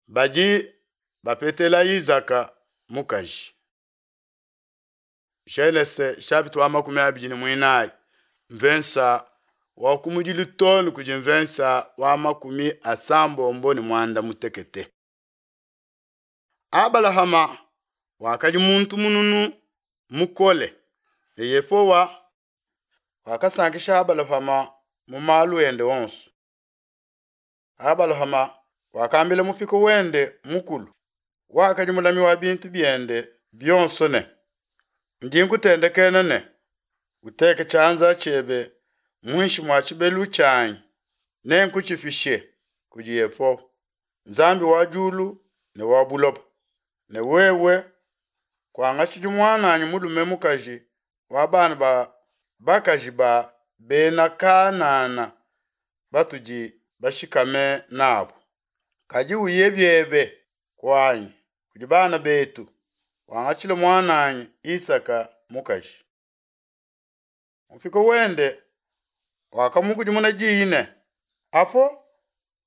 Badi bapetela Izaka mukaji. Genese chapitre wa 24, mvensa wa kumudilu too ne kudi mvensa wa 98. Abalahama wakadi muntu mununu mukole, ne Yehowa wakasankisha Abalahama mu malu ende onso. Abalahama wakambila mupika wende mukulu, wakadi mulami wa bintu biende bionso ne, Ndi nkutendekena ne, uteke tshianza tshiebe muinshi mua tshibelu tshianyi, nenkutshipishe kudi Yehowa, Nzambi wa diulu ne wa buloba, ne wewe kuangatshidi muananyi mulume mukaji wa bana ba bakaji ba bena Kanana batudi bashikame nabu. Kadi uye biebe kuanyi kudi bana betu, wangatshile muananyi Isaka mukaji. Mupika wende wakamukudimuna diyi ne, Apo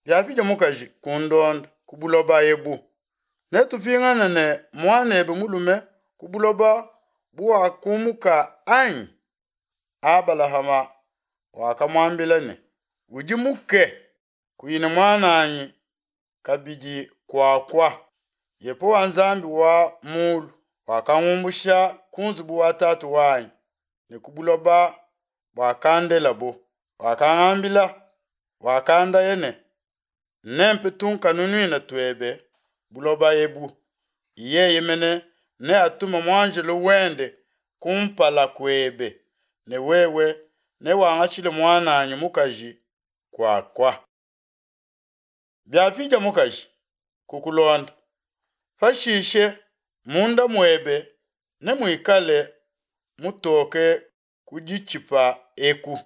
biapidia mukaji kundonda ku buloba ebu, netupingane ne muanebe mulume ku buloba buwakumuka anyi? Abalahama wakamuambila ne, Udimuke, kuyi ne muananyi kabidi kuakua. Yehowa Nzambi wa mulu wakangumbusha ku nzubu wa tatu wanyi ne ku buloba buakandelabo, wakangambila, wakandaya ne, Nempe tunkanunuina tuebe buloba ebu. Yeye mene neatume muanjelo wende kumpala kuebe, ne wewe newangatshile muananyi mukaji kuakua. Biapidia mukaji kukulonda, pashishe munda muebe nemuikale mutoke ku ditshipa eku.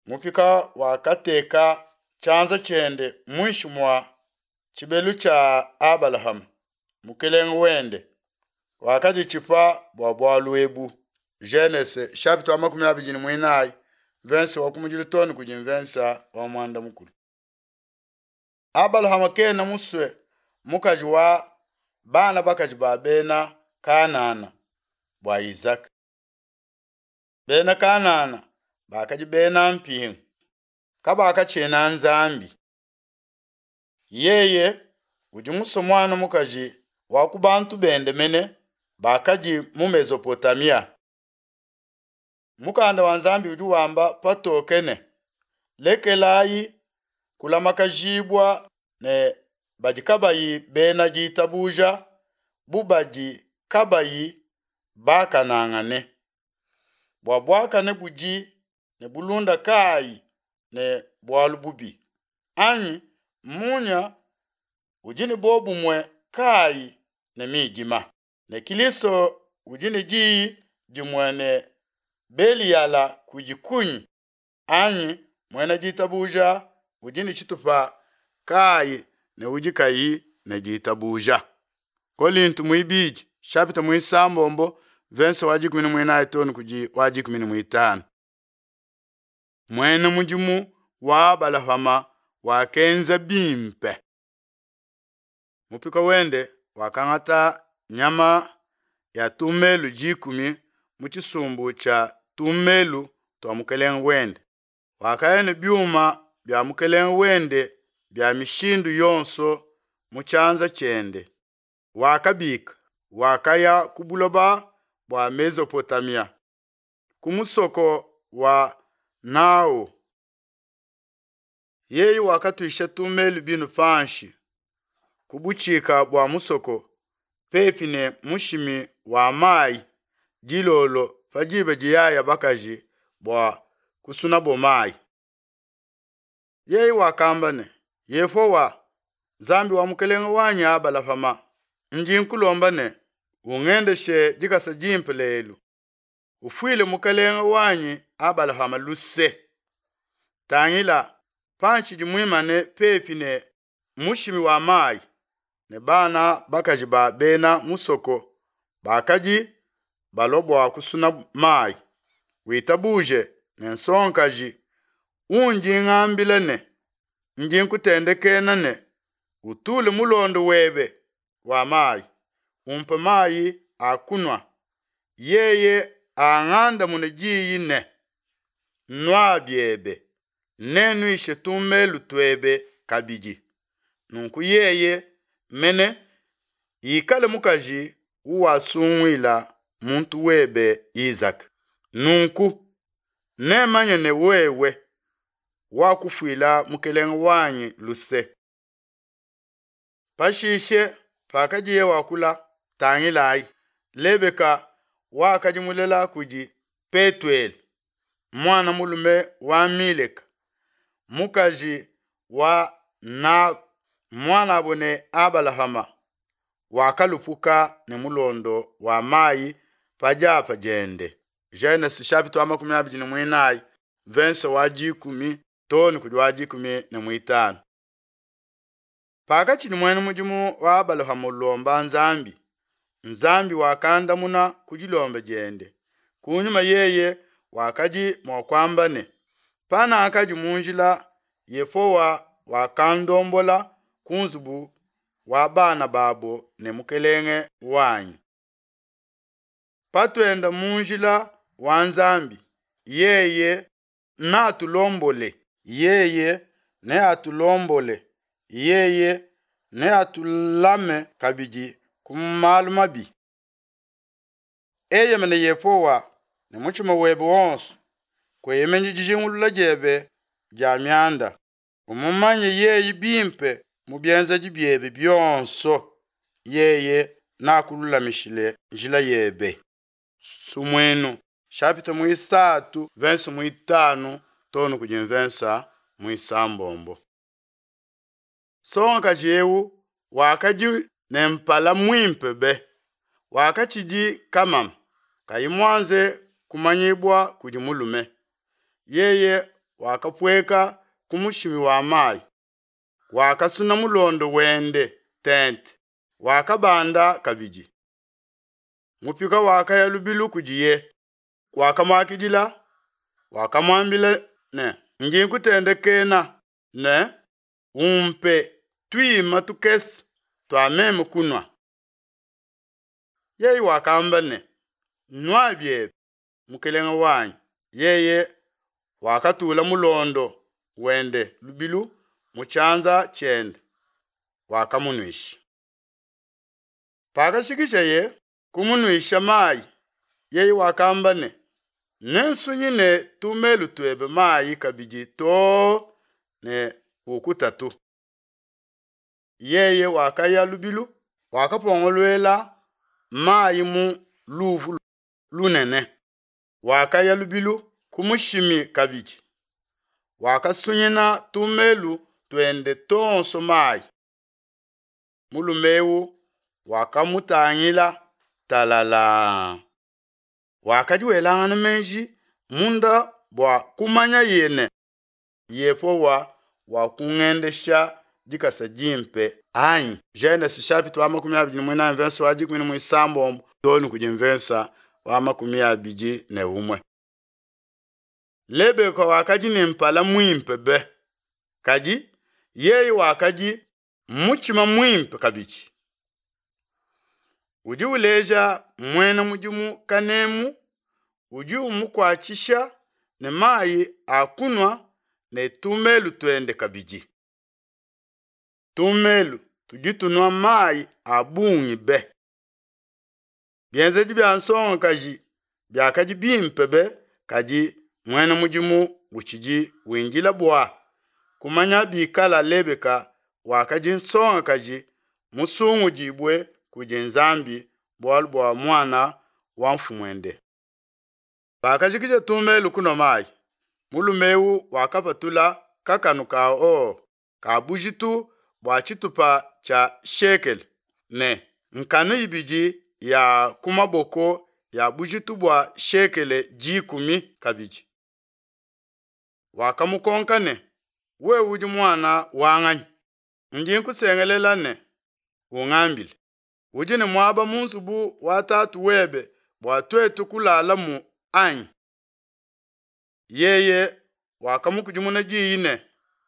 Mupika wakateka tshianza tshiende muinshi mua tshibelu tshia Abalahama, mukelenge wende, wakaditshipa bua bualu ebu. Genese chapitre wa 24, verse wa kumudilu too ne kudi mvensa wa muanda mukulu. Abalahama kena musue mukaji wa bana bakaji ba bena Kanana bua Isaka. Bena Kanana bakadi bena mpingu, kabakatshina Nzambi. Yeye udi musue muana mukaji wa ku bantu bende mene bakadi mu Mesopotamia. Mukanda wa Nzambi udi wamba patoke ne, Lekelayi kulamakajibua ne badi kabayi bena ditabuja bu badi kabayi bakanangane. Bua buakane budi ne bulunda kayi ne bualu bubi? Anyi munya udi ne buobumue kayi ne midima? Ne Kilisto udi ne diyi dimue ne Beliyala kudi kunyi? Anyi muena ditabuja udi ne tshitupa kayi ne udi kayi ne ditabuja? Kolinto muibidi chapitre muisambombo verse wa 14 too ne kudi wa 15. Muena mudimu wa Abalahama wakenza bimpe. Mupika wende wakangata nyama ya tumelu dikumi mu tshisumbu tshia tumelu tua mukelenge wende. Wakaya ne biuma bia mukelenge wende bia mishindu yonso mu tshianza tshiende. Wakabika, wakaya ku buloba bua Mesopotamia, ku musoko wa Naho. Yeye wakatuisha tumelu binu panshi ku butshika bua musoko pepi ne mushimi wa mayi dilolo pa diba diyaya bakaji bua kusunabo mayi. Yeye wakamba ne, Yehowa, Nzambi wa mukelenge wanyi Abalahama, ndi nkulomba ne, ungendeshe dikasa dimpe lelu, ufuile mukelenge wanyi Abalahama luse. Tangila, pantshidi muimane pepi ne mushimi wa mayi, ne bana bakaji ba bena musoko bakadi balua bua kusuna mayi, witabuje ne nsongakaji undi ngambila ne, Ndi nkutendekena ne, Utule mulondo webe wa mayi, umpe mayi a kunua, yeye angandamune diyi ne, Nua biebe, nennuishe tumelu tuebe kabidi. Nunku yeye mene ikale mukaji uwasunguila muntu webe Izaka. Nunku nemanye ne wewe wakufuila mukelenge wanyi luse. Pashishe, pakadiye wakula, tangilayi, Lebeka wakadi mulela kudi Petuele, muana mulume wa Mileka, mukaji wa Naho, muanabo ne Abalahama, wakalupuka ne mulondo wa mayi pa diapa diende. Genese chapitre wa 24 verse wa 10 too ne kudi wa 15. Pakatshidi muena mudimu wa Abalahama ulomba Nzambi, Nzambi wakandamuna ku dilomba diende. Kunyima yeye wakadi mua kuamba ne, Panakadi mu njila Yehowa wakandombola ku nzubu wa bana babo ne mukelenge wanyi. Patuenda mu njila wa Nzambi, yeye neatulombole. Yeye neatulombole, yeye neatulame kabidi ku malu mabi. Eyemena Yehowa ne mutshima webe wonso, kueyemenyi dijingulula diebe dia mianda. Umumanye yeye bimpe mu bienzedi biebe bionso, yeye neakululamishile njila yebe. Sumuinu chapitre muisatu verse muitanu too ne kudi mvensa muisambombo. Nsongakaji eu wakadi ne mpala muimpe be, wakatshidi kamama, kayi muanze kumanyibua kudi mulume. Yeye wakapueka ku mushimi wa mayi, wakasuna mulondo wende tente, wakabanda kabidi. Mupika wakaya lubilu kudiye, wakamuakidila, wakamuambila ne, Ndi nkutendekena ne, Umpe tuima tukese tua meme kunua. Yeye wakamba ne, Nua biebe, mukelenge wanyi. Yeye wakatula mulondo wende lubilu mu tshianza tshiende, wakamunuisha. Pakashikisheye kumunuisha mayi, yeye wakamba ne, Nensunyine tumelu tuebe mayi kabidi too ne pukutatu. Yeye wakaya lubilu, wakapongoluela mayi mu luvu lunene, wakaya lubilu ku mushimi kabidi, wakasunyina tumelu tuende tuonso mayi. Mulume eu wakamutangila talalaa, wakadi welangana meji munda bua kumanyaye ne, Yehowa wakungendesha dikasa dimpe anyi? Genese chapitre wa 24 verse wa 16 too ne kudi mvensa wa 21. Lebeka wakadi ne mpala muimpe be, kadi yeye wakadi mutshima muimpe kabidi. Udi uleja muena mudimu kanemu, udi umukuatshisha ne mayi a kunua ne tumelu tuende kabidi. Tumelu tudi tunua mayi a bungi be. Bienzedi bia nsongakaji biakadi bimpe be, kadi muena mudimu utshidi windila bua kumanya bikala Lebeka wakadi nsongakaji musungudibue kudi Nzambi bualu bua muana wa mfumuende. Pakajikija tumelu kunua mayi, mulume eu wakapatula kakanu ka or ka bujitu bua tshitupa tshia shekele ne nkanu ibidi ya ku maboko ya bujitu bua shekele dikumi kabidi. Wakamukonka ne, Wewe udi muana wa nganyi? Ndi nkusengelela ne, ungambile. Udi ne muaba mu nzubu wa tatu webe bua tuetu kulalamu anyi? Yeye wakamukudimuna diyi ne,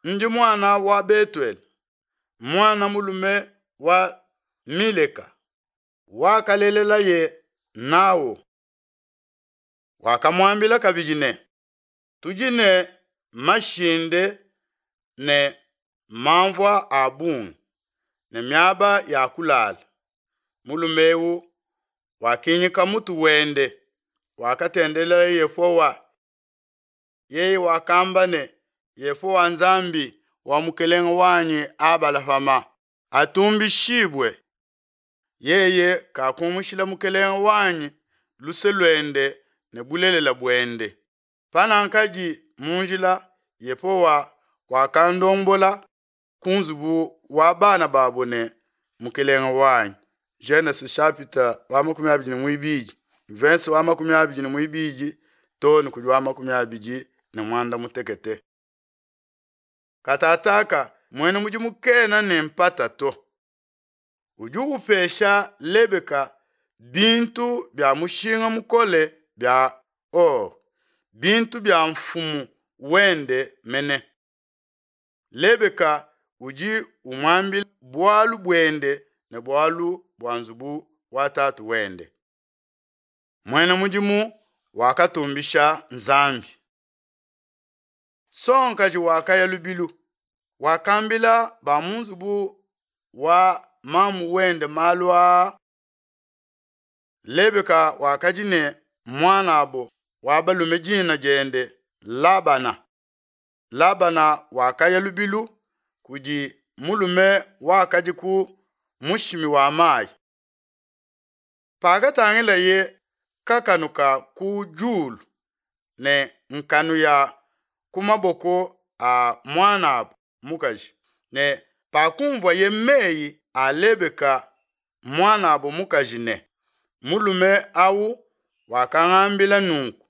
Ndi muana wa Betuele, muana mulume wa Mileka, wakalelelaye Naho. Wakamuambila kabidi ne, Tudi ne mashinde ne manvua a bungi ne miaba ya kulala. Mulume eu wakinyika mutu wende, wakatendelela Yehowa. Yeye wakamba ne, Yehowa Nzambi wa mukelenge wanyi Abalahama atumbishibue, yeye kakumushila mukelenge wanyi luse luende ne bulelela buende. Panakadi mu njila, Yehowa wakandombola ku nzubu wa bana babo ne mukelenge wanyi. Genese chapitre wa 22, verse wa 22 too ne kudi wa 25. Katataka muena mudimu kena ne mpata to. Udi upesha Lebeka bintu bia mushinga mukole bia or, bintu bia mfumu wende mene. Lebeka udi umuambila bualu buende ne bualu bua nzubu wa tatu wende. Muena mudimu wakatumbisha Nzambi. Nsongakaji wakaya lubilu, wakambila ba mu nzubu wa mamu wende malu aa. Lebeka wakadi ne muanabo wa balume dina diende Labana. Labana wakaya lubilu kudi mulume wakadi ku mushimi wa mayi. Pakatangilaye kakanu ka ku diulu ne nkanu ya ku maboko a muanabo mukaji ne pakumvuaye meyi a Lebeka muanabo mukaji ne, Mulume au wakangambila nunku,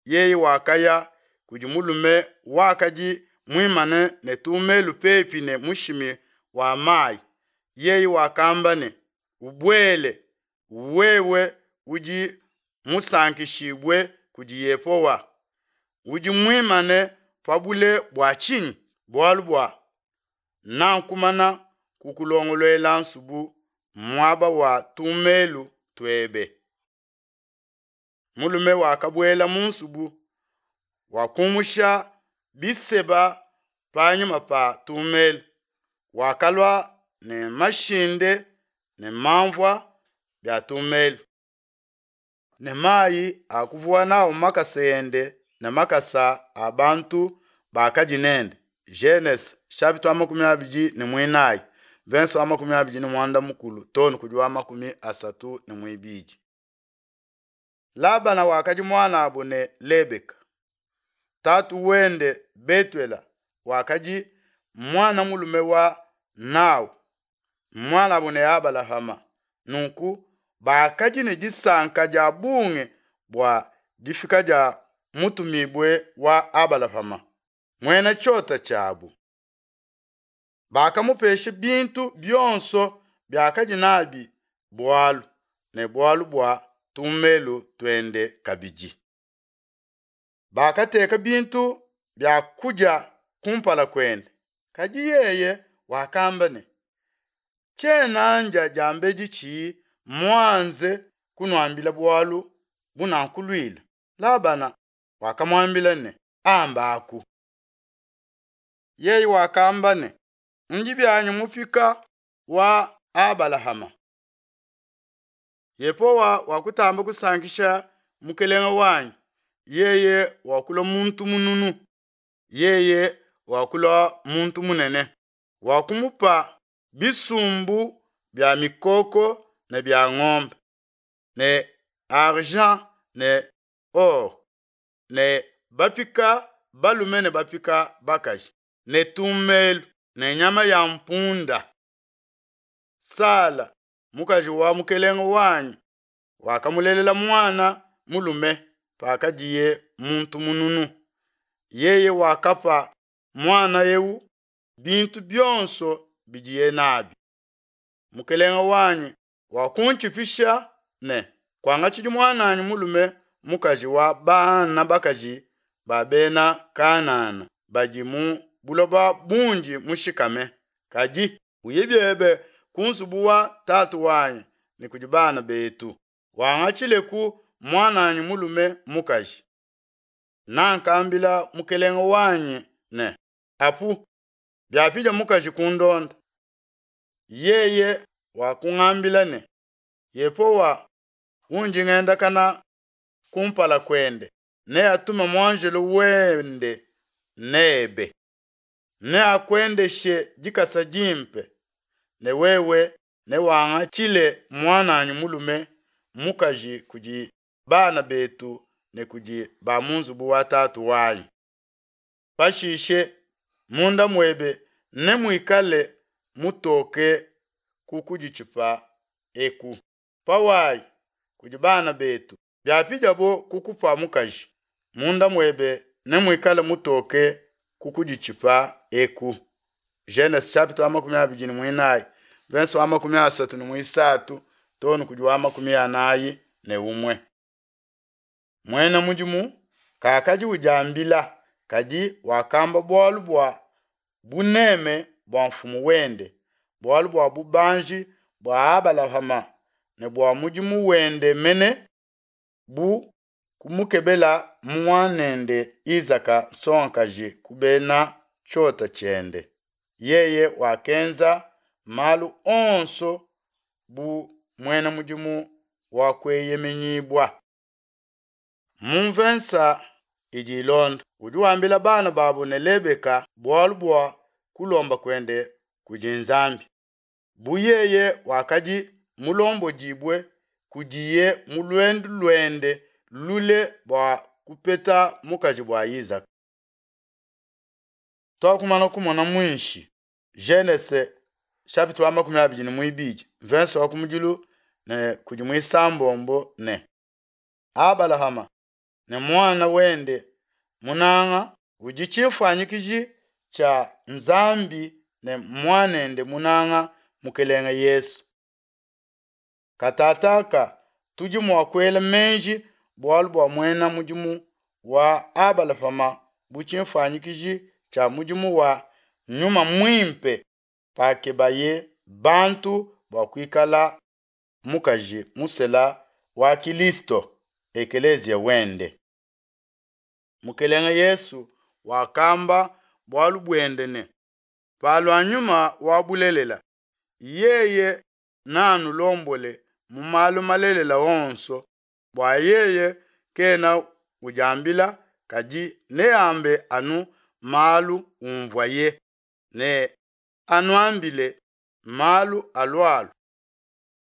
yeye wakaya kudi mulume wakadi muimane ne tumelu pepi ne mushimi wa mayi. Yeye wakamba ne, Ubuele, wewe udi musankishibue kudi Yehowa. Udi muimane pa bule bua tshinyi? Bualu bua nakumana kukulongoluela nsubu muaba wa tumelu tuebe. Mulume wakabuela mu nsubu, wakumusha biseba panyima pa tumelu, wakalua ne mashinde ne manvua bia tumelu, ne mayi a kuvuwa nawu makasa ende ne makasa a bantu bakadi nende. Genese chapitre wa 24, verse wa 29 too ne kudi wa 32. Labana wakadi muanabo ne Lebeka. Tatu wende Betuela wakadi muana mulume wa Naho, muanabo ne Abalahama. Nunku bakadi ne disanka dia bungi bua difika dia mutumibue wa Abalahama, muena tshiota tshiabu. Bakamupesha bintu bionso biakadi nabi bualu, ne bualu bua tumelu tuende kabidi. Bakateka bintu bia kudia kumpala kuende, kadi yeye wakamba ne, Tshiena ndia diambedi tshiyi muanze kunuambila bualu bunankuluila. Labana wakamuambila ne, Ambaku. Yeye wakamba ne, Ndi bianyi mupika wa Abalahama. Yehowa wakutamba kusankisha mukelenge wanyi, yeye wakulua muntu mununu, yeye wakulua muntu munene, wakumupa bisumbu bia mikoko ne bia ngombe, ne argent ne or, ne bapika balume ne bapika bakaji, ne tumelu ne nyama ya mpunda. Sala, mukaji wa mukelenge wanyi, wakamulelela muana mulume pakadiye muntu mununu. Yeye wakapa muana eu bintu bionso bidiye nabi. Mukelenge wanyi wakuntshipisha ne, Kuangatshidi muananyi mulume mukaji wa bana bakaji ba bena Kanana badi mu buloba bundi mushikame, kadi. Uye biebe ku nzubu wa tatu wanyi ne kudi bana betu, wangatshileku muananyi mulume mukaji. Nankambila mukelenge wanyi ne, Apu, biapidia mukaji kundonda. Yeye wakungambila ne, Yehowa undi ngendakana kumpala kuende neatume muanjelo wende nebe, neakuendeshe dikasa dimpe, ne wewe newangatshile muananyi mulume mukaji kudi bana betu ne kudi ba mu nzubu wa tatu wanyi. Pashishe munda muebe nemuikale mutoke ku kuditshipa eku. Pawayi kudi bana betu, biapidiabo kukupa mukaji, munda muebe nemuikale mutoke ku kuditshipa eku. Genese chapitre wa 24, verse wa 33 too ne kudi wa 41. Muena mudimu kakadi udiambila, kadi wakamba bualu bua buneme bua mfumu wende, bualu bua bubanji bua Abalahama ne bua mudimu wende mene bu kumukebela muanende Isaka nsongakaji ku bena tshiota tshiende. Yeye wakenza malu onso bu muena mudimu wa kueyemenyibua. Mu mvensa idi ilonda, udi wambila bana babo ne Lebeka bualu bua kulomba kuende kudi Nzambi. Bu yeye wakadi mulombodibue kudiye mu luendu luende lule bua kupeta mukaji bua Isaka. Tuakumana kumona muinshi Genese chapitre wa 22 verse wa kumudilu ne kudi muisambombo ne Abalahama ne muana wende munanga udi tshimfuanyikiji tshia Nzambi ne muanende munanga Mukelenge Yesu. Katataka tudi mua kuela meji bualu bua muena mudimu wa Abalahama bu tshimfuanyikiji tshia mudimu wa Nyuma Muimpe pakebaye bantu bua kuikala mukaji musela wa Kilisto, ekeleziya wende. Mukelenge Yesu wakamba bualu buende ne, Palua Nyuma wa bulelela, yeye neanulombole mu malu malelela onso, bua yeye kena udiambila, kadi neambe anu malu umvuaye, ne anuambile malu alualua.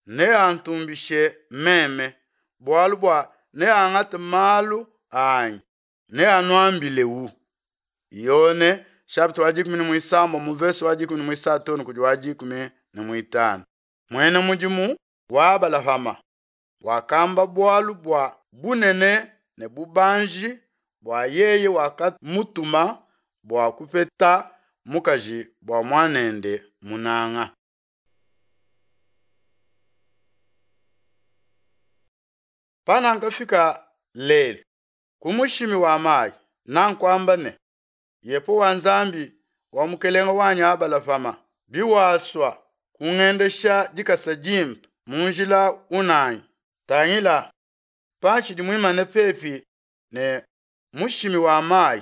Neantumbishe meme, bualu bua neangate malu anyi, neanuambilewu. Yone chapitre wa 13 mu verse wa 13 kudi wa 15. Muena mudimu wa Abalahama wakamba bualu bua bunene ne bubanji bua yeye wakamutuma bua kupeta mukaji bua muanende munanga. Panankafika lelu ku mushimi wa mayi, nankuamba ne, Yehowa Nzambi wa mukelenge wanyi Abalahama, biwasua kungendesha dikasa dimpe mu njila unanyi, tangila pantshidi muimane pepi ne mushimi wa mayi,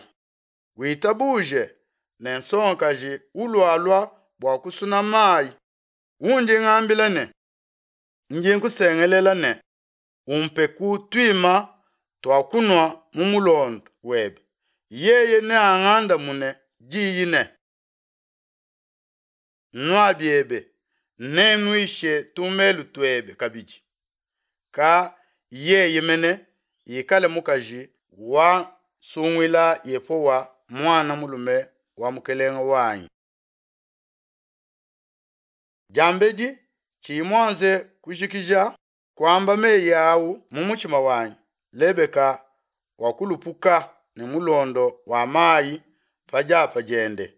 witabuje ne nsongakaji ulualua bua kusuna mayi, undi ngambila ne, ndi nkusengelela ne, umpeku tuima tua kunua mu mulondo webe. Yeye neangandamune diyi ne, nua biebe, nennuishe tumelu tuebe kabidi. Ka yeye mene ikale mukaji wa sunguila Yehowa muana mulume wa mukelenge wanyi. Diambedi tshiyi muanze kujikija kuamba meyi au mu mutshima wanyi, Lebeka wakulupuka ne mulondo wa mayi pa diapa diende,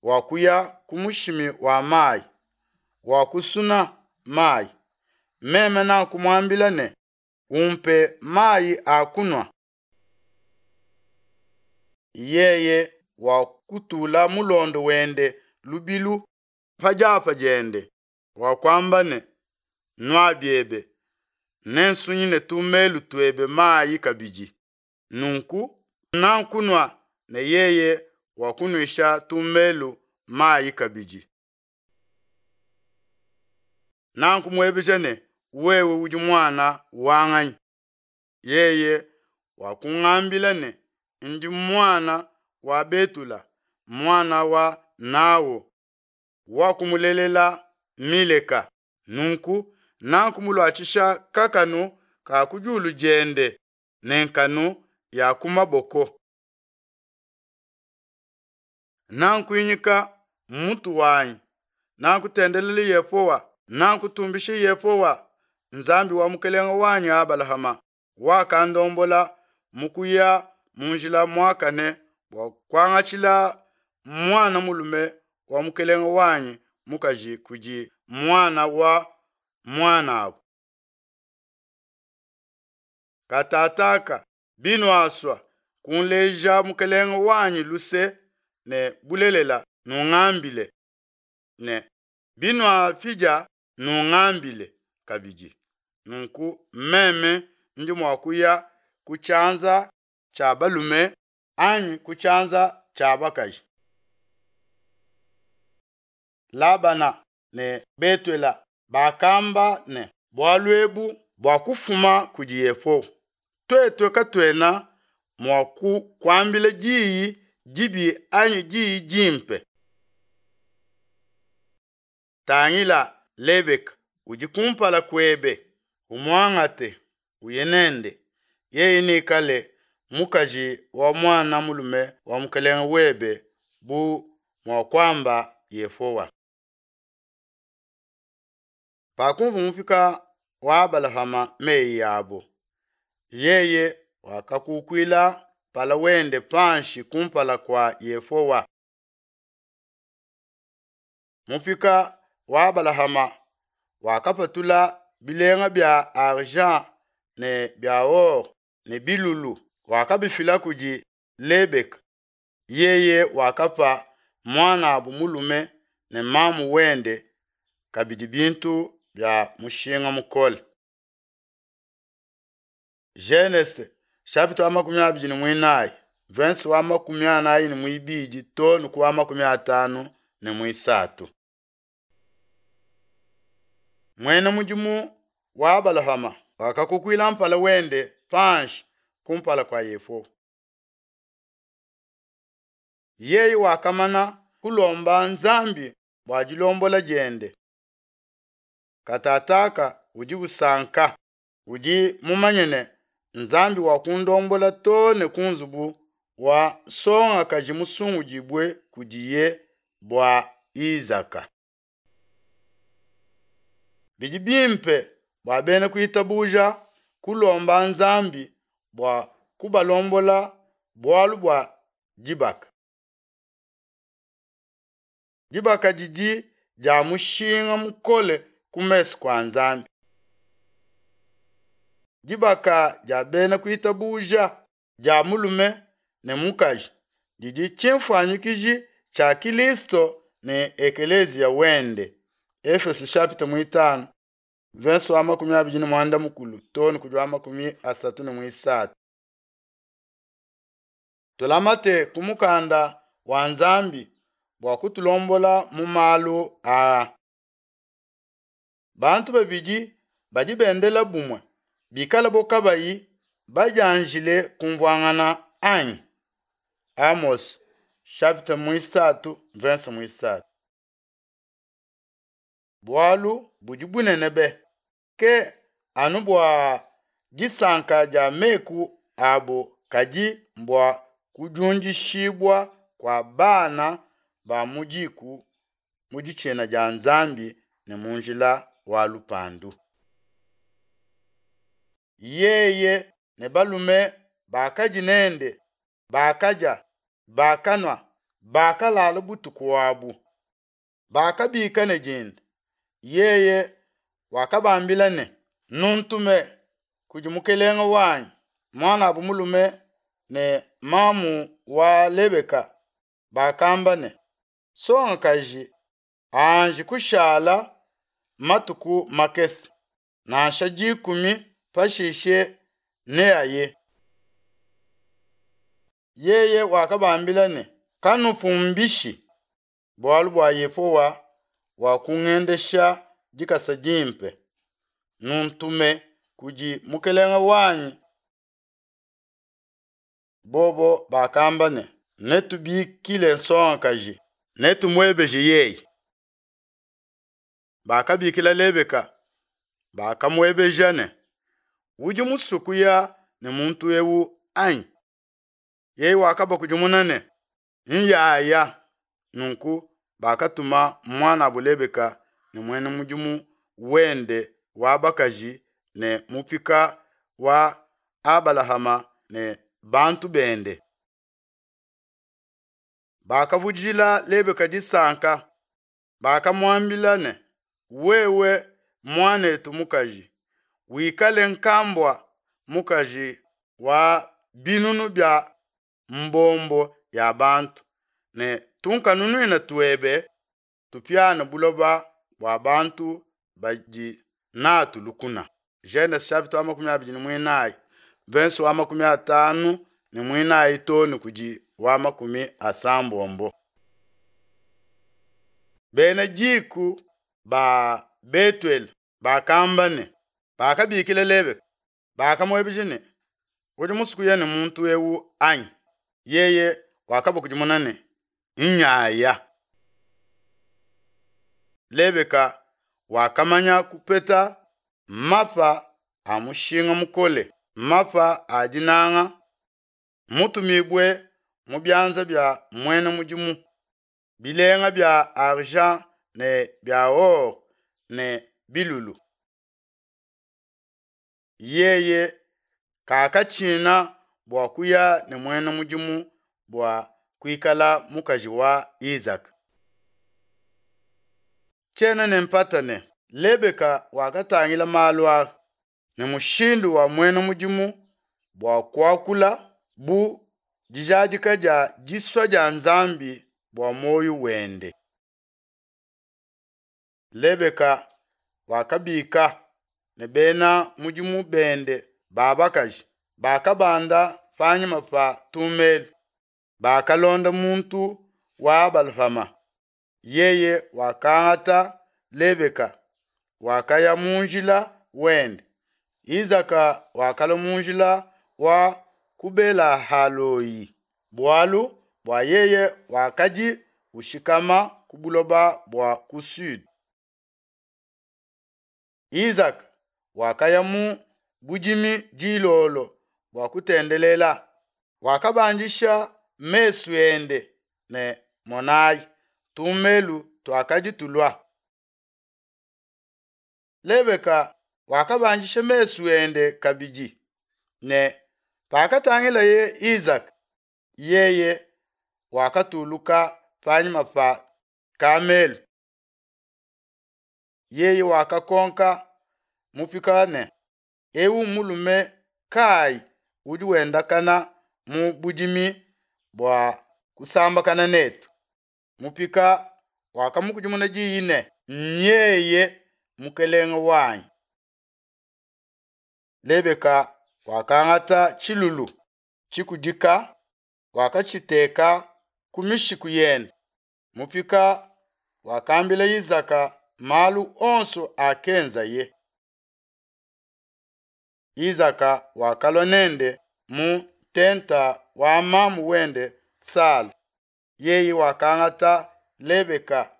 wakuya ku mushimi wa mayi, wakusuna mayi. Meme nakumuambila ne, umpe mayi a kunua. Yeye wakutula mulondo wende lubilu, pa diapa diende, wakuamba ne, Nua biebe, nensunyine tumelu tuebe mayi kabidi. Nunku nakunua ne yeye wakunuisha tumelu mayi kabidi. Nakumuebeja ne, Wewe udi muana wa nganyi? Yeye wakungambila ne, Ndi muana wa Betula, muana wa Naho, wakumulelela Mileka. Nunku nakumuluatshisha kakanu ka ku diulu diende ne nkanu ya ku maboko. Nakuinyika mutu wanyi, nakutendelela Yehowa, nakutumbisha Yehowa, Nzambi wa mukelenge wanyi Abalahama, wakandombola mu kuya mu njila muakane bua kuangatshila muana mulume wa mukelenge wanyi mukaji kudi muana wa muanabu. Katataka binuasua kunleja mukelenge wanyi luse ne bulelela, nungambile, ne binuapidia, nungambile kabidi, nunku meme ndi mua kuya ku tshianza tshia balume anyi ku tshianza tshia bakaji. Labana ne Betuela bakamba ne, Bualu ebu buakufuma kudi Yehowa, tuetu katuena mua kukuambila diyi dibi anyi diyi dimpe. Tangila Lebeka udi kumpala kuebe, umuangate, uye nende, yeye neikale mukaji wa muana mulume wa mukelenge webe bu muakuamba Yehowa. Pakumvua mupika wa Abalahama meyi abo, yeye wakakukuila mpala wende panshi kumpala kua Yehowa. Mupika wa Abalahama wakapatula bilenga bia argent ne bia or ne bilulu, wakabifila kudi Lebeka. Yeye wakapa muanabu mulume ne mamu wende kabidi bintu bia mushinga mukole. Genese chapitre wa 24 verse wa 42 to ne ku wa 53. Muena mudimu wa Abalahama wakakukuila mpala wende panshi kumpala kua Yehowa. Yeye wakamana kulomba Nzambi bua dilombola diende. Katataka udi usanka, udi mumanye ne, Nzambi wakundombola to ne ku nzubu wa nsongakaji musungudibue kudiye bua Izaka. Bidi bimpe bua bena kuitabuja kulomba Nzambi bua kubalombola bualu bua dibaka. Dibaka didi dia mushinga mukole ku mesu kua Nzambi. Dibaka dia bena kuitabuja dia mulume ne mukaji didi tshimfuanyikiji tshia Kilisto ne ekeleziya wende. Efeso chapitre 5 verse wa 29 to ne kudi wa 33. Tulamate ku mukanda wa Nzambi bua kutulombola mu malu aa. Bantu babidi badi bendela bumue bikalabo kabayi badianjile kumvuangana anyi? Amos chapitre 3 verse 3. Bualu budi bunene be ke anu bua disanka dia meku abo kadi mbua kudiundishibua kua bana ba mu diku mu ditshina dia Nzambi ne mu njila wa lupandu. Yeye ne balume bakadi nende bakadia, bakanua, bakalala butuku abu. Bakabika ne dinda. Yeye wakabambila ne, Nuntume kudi mukelenge wanyi, muanabu mulume ne mamu wa Lebeka. Bakamba ne, Nsongakaji Anji kushala matuku makese, nansha dikumi, pashishe neaye. Yeye wakabambila ne, Kanupumbishi, bualu bua Yehowa wakungendesha dikasa dimpe, nuntume kudi mukelenge wanyi. Bobo bakamba ne, Netubikile nsongakaji, netumuebeje yeye. Bakabikila Lebeka, bakamuebeja ne, Udi musue kuya ne muntu ewu, anyi? Yeye wakabakudimuna ne, Nyaya. Nunku bakatuma muanabo Lebeka ne muena mudimu wende wa bakaji ne mupika wa Abalahama ne bantu bende. Bakavudijila Lebeka disanka, bakamuambila ne, Wewe muanetu mukaji, wikale nkambua mukaji wa binunu bia mbombo ya bantu, ne tunkanunuina tuebe tupiane buloba bua bantu badi natu lukuna. Genese chapitre wa 24 verse wa 54 too ne kudi wa 80. Bena diku ba Betuele bakamba ne, bakabikila Lebeka, bakamuebeja ne, Udi musue kuya ne muntu ewu, anyi? Yeye wakabakudimuna ne, Nyaya. Lebeka wakamanya kupeta mapa a mushinga mukole, mapa a dinanga, mutumibue mu bianza bia muena mudimu, bilenga bia argent ne bia or ne bilulu. Yeye kakatshina bua kuya ne muena mudimu bua kuikala mukaji wa Isaka. Tshiena ne mpata ne, Lebeka wakatangila malu aa ne mushindu wa muena mudimu bua kuakula bu dijadika dia disua dia Nzambi bua muoyo wende. Lebeka wakabika ne bena mudimu bende ba bakaji, bakabanda panyima pa tumelu, bakalonda muntu wa Abalahama. Yeye wakangata Lebeka, wakaya mu njila wende. Isaka wakalua mu njila wa ku Bela-haloi, bualu bua yeye wakadi ushikama ku buloba bua ku Sude. Isaka wakaya mu budimi dilolo bua kutendelela, wakabandisha mesu ende ne monayi, tumelu tuakadi tulua. Lebeka wakabandisha mesu ende kabidi ne pakatangilaye Isaka, yeye wakatuluka panyima pa kamelu. Yeye wakakonka mupika ne, Ewu mulume kayi udi wendakana mu budimi bua kusambakana netu? Mupika wakamukudimuna diyi ne, Nyeye mukelenge wanyi. Lebeka wakangata tshilulu tshikudika, wakatshiteka ku mishiku yende. Mupika wakambila Isaka malu onso akenzaye. Isaka wakalua nende mu ntenta wa mamu wende Sala. Yeye wakangata Lebeka,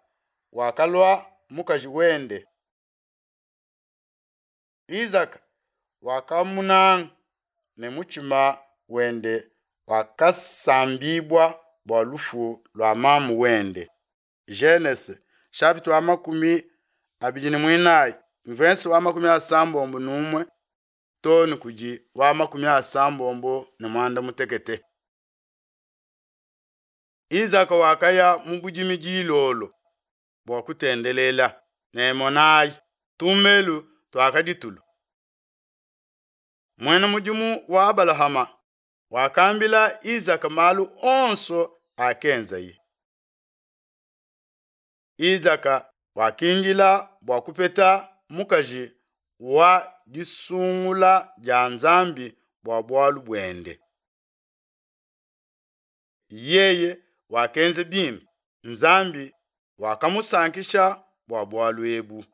wakalua mukaji wende. Isaka wakamunanga ne mutshima wende wakasambibua bua lufu lua mamu wende. Genese chapitre wa 24 verse wa 61 too ne kudi wa 95. Isaka wakaya mu budimi dilolo bua kutendelela, ne monayi, tumelu tuakadi tulua. Muena mudimu wa Abalahama wakambila Isaka malu onso akenzaye. Izaka wakindila bua kupeta mukaji wa disungula dia Nzambi bua bualu buende. Yeye wakenza bimpe, Nzambi wakamusankisha bua bualu ebu.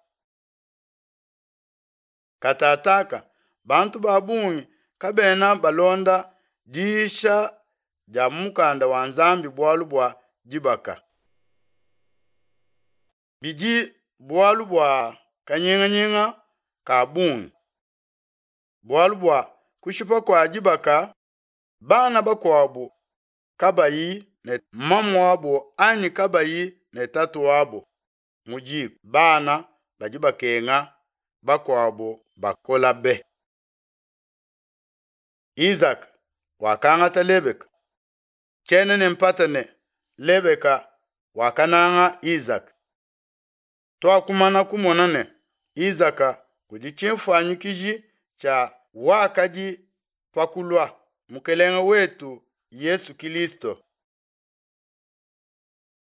Katataka bantu ba bungi kabena balonda diyisha dia mu Mukanda wa Nzambi bualu bua dibaka. Bidi bualu bua kanyinganyinga ka bungi, bualu bua kushipa kua dibaka, bana bakuabo kabayi ne mamuabo anyi kabayi ne tatuabo mu diku, bana badi bakenga, bakuabo bakola be. Izaka wakangata Lebeka. Tshiena ne mpata ne Lebeka wakananga Izaka. Tuakumana kumona ne Izaka udi tshinfuanyikiji tshia wakadi pa kulua, Mukelenge wetu Yesu Kilisto.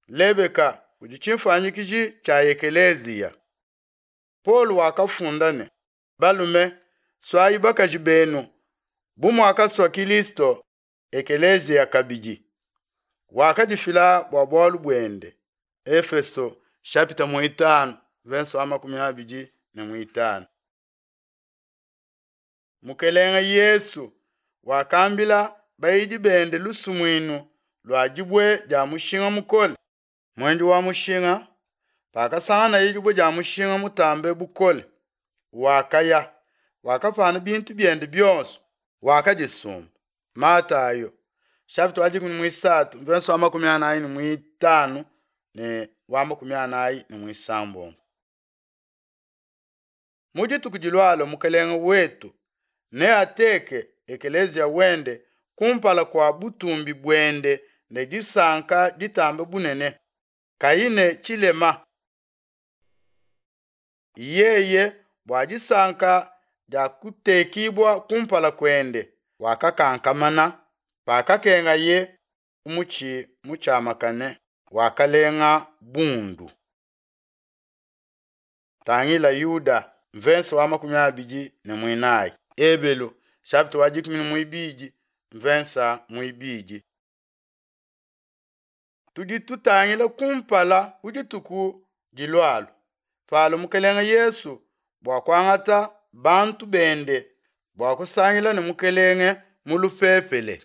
Lebeka udi tshinfuanyikiji tshia ekeleziya. Paulo wakafunda ne, Balume, suayi bakaji benu bu muakasua Kilisto ekeleziya kabidi, wakadifila bua bualu buende. Efeso chapitre 5 verset wa 25. Mukelenge Yesu wakambila bayidi bende lusumuinu lua dibue dia mushinga mukole. Muendi wa mushinga, pakasanganaye dibue dia mushinga mutambe bukole, wakaya, wakapana bintu biende bionso, wakadisumba. Matayo chapitre wa 13 verset wa 45 ne wa 46. Mu dituku dilualua Mukelenge wetu neateke ekeleziya wende kumpala kua butumbi buende ne disanka ditambe bunene, kayi ne tshilema. Yeye bua disanka dia kutekibua kumpala kuende wakakankamana, pakakengaye ku mutshi mutshiamakane, wakalenga bundu. Tangila Yuda mvensa wa 24, Ebelu chapitre wa 12 mvensa muibidi. Tudi tutangila kumpala ku dituku dilualua palua Mukelenge Yesu bua kuangata bantu bende bua kusangila ne Mukelenge mu lupepele.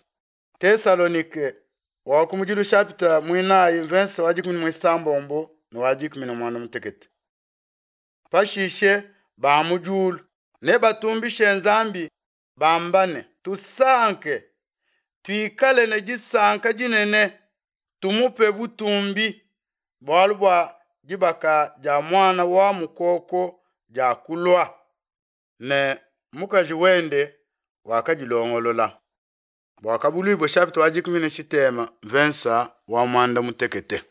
Tesalonike wa kumudilu chapitre muinayi mvensa wa 16 ne wa 18. Pashishe ba mu diulu nebatumbishe Nzambi bamba ne, tusanke, tuikale ne disanka dinene, tumupe butumbi, bualu bua dibaka dia muana wa mukoko dia kulua, ne mukaji wende wakadilongolola. Buakabuluibua chapitre wa 13 mvensa wa mwanda mutekete.